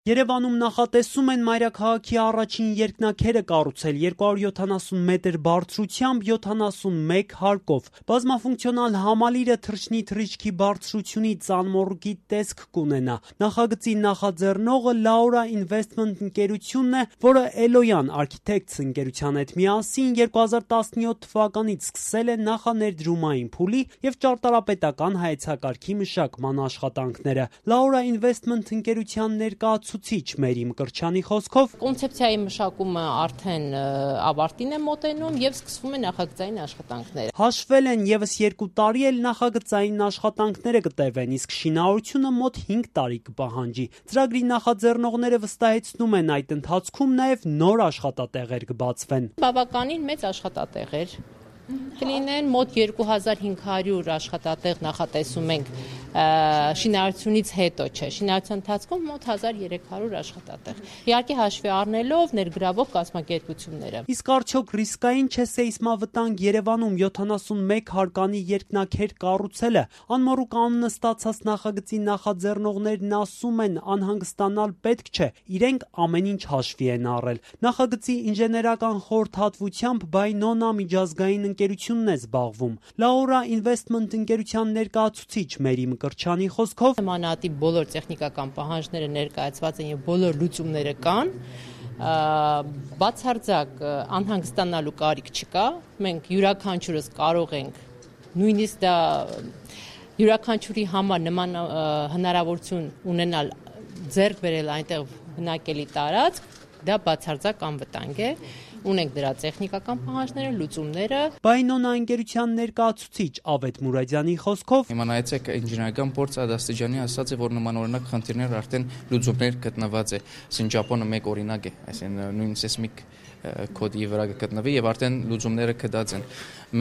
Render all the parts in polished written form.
Երևանում նախատեսում են մայրաքաղաքի առաջին երկնաքերը կառուցել 270 մետր բարձրությամբ 71 հարկով։ Բազմաֆունկցիոնալ համալիրը թռչնի թռիչքի բարձրությունից անմոռուկի տեսք կունենա։ Նախագծի նախաձեռնողը Laura Investment ընկերությունն է, որը Eloyan Architects ընկերության հետ միասին 2017 թվականից սկսել է նախաներդրումային փուլի և ճարտարապետական հայեցակարգի մշակման աշխատանքները։ Laura Investment ընկերության ներկայացուցիչ Մերի Մկրտչյանի խոսքով կոնցեպցիայի մշակումը արդեն ավարտին է մոտենում և սկսվում է նախագծային աշխատանքները։ Հաշվել են ևս 2 տարի էլ նախագծային աշխատանքները կտևեն, իսկ շինարարությունը մոտ 5 տարի կպահանջի։ Ծրագրի նախաձեռնողները վստահեցնում են, այդ ընթացքում նաև նոր աշխատատեղեր կբացվեն։ Բավականին մեծ աշխատատեղեր կլինեն, մոտ 2500 աշխատատեղ նախատեսում ենք շինարարությունից հետո, շինարարության ընթացքում մոտ 1300 աշխատատեղ։ Իհարկե հաշվի առնելով ներգրավող կազմակերպությունները։ Իսկ արդյոք ռիսկային չէ սեյսմավտանգ Երևանում 71 հարկանի երկնաքեր կառուցելը։ Անմոռուկ անունը ստացած նախագծի նախաձեռնողներն ասում են, անհանգստանալ պետք չէ, իրենք ամեն ինչ հաշվի են առել։ Նախագծի ինժեներական խորհրդատվությամբ Bainona միջազգային ընկերությունն է զբաղվում։ Laura Investment ընկերության ներկայացուցիչ Մերի Մկրտչյանի խոսքով Նմանատիպ բոլոր տեխնիկական պահանջները ներկայացված են եւ բոլոր լուծումները կան։ Բացարձակ անհանգստանալու կարիք չկա։ Մենք յուրաքանչյուրս կարող ենք նույնիսկ դա յուրաքանչյուրի համար նման հնարավորություն ունենալ ձեռք բերել այնտեղ բնակելի տարածք, դա բացարձակ անվտանգ է։ Ունենք դրա տեխնիկական պահանջները, լուծումները։ Bainona ընկերության ներկայացուցիչ Ավետ Մուրադյանի խոսքով Իմանայեցեք ինժեներական փորձը դաստիճանի ասած է, որ նմանօրինակ խնդիրներ արդեն լուծումներ գտնված է։ Սինջապոնը մեկ օրինակ է, այսինքն նույն սեյսմիկ կոդի վրա կգտնվի եւ արդեն լուծումները կդած են։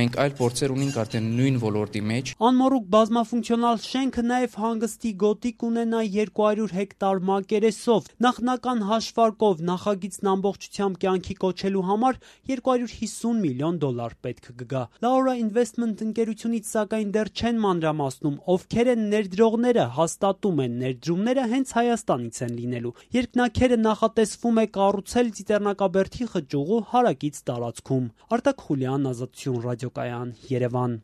Մենք այլ փորձեր ունենք արդեն նույն ոլորտի մեջ։ Անմոռուկ բազմաֆունկցիոնալ շենքը նաև հանգստի գոտի կունենա 200 հեկտար մակերեսով։ Նախնական հաշվարկով նախագիծն ամբողջությամբ կյանքի կոչելու համար $250 միլիոն պետք կգա։ Laura Investment ընկերությունից սակայն դեռ չեն մանրամասնում, ովքեր են ներդրողները, հաստատում են ներդրումները հենց Հայաստանից են լինելու։ Երկնաքերը նախատեսվում է կառուցել Ծիծեռնակաբերդի խճուղու հարակից տարածքում։ Արտակ Խուլյան, Ազատություն ռադիոկայան, Երևան։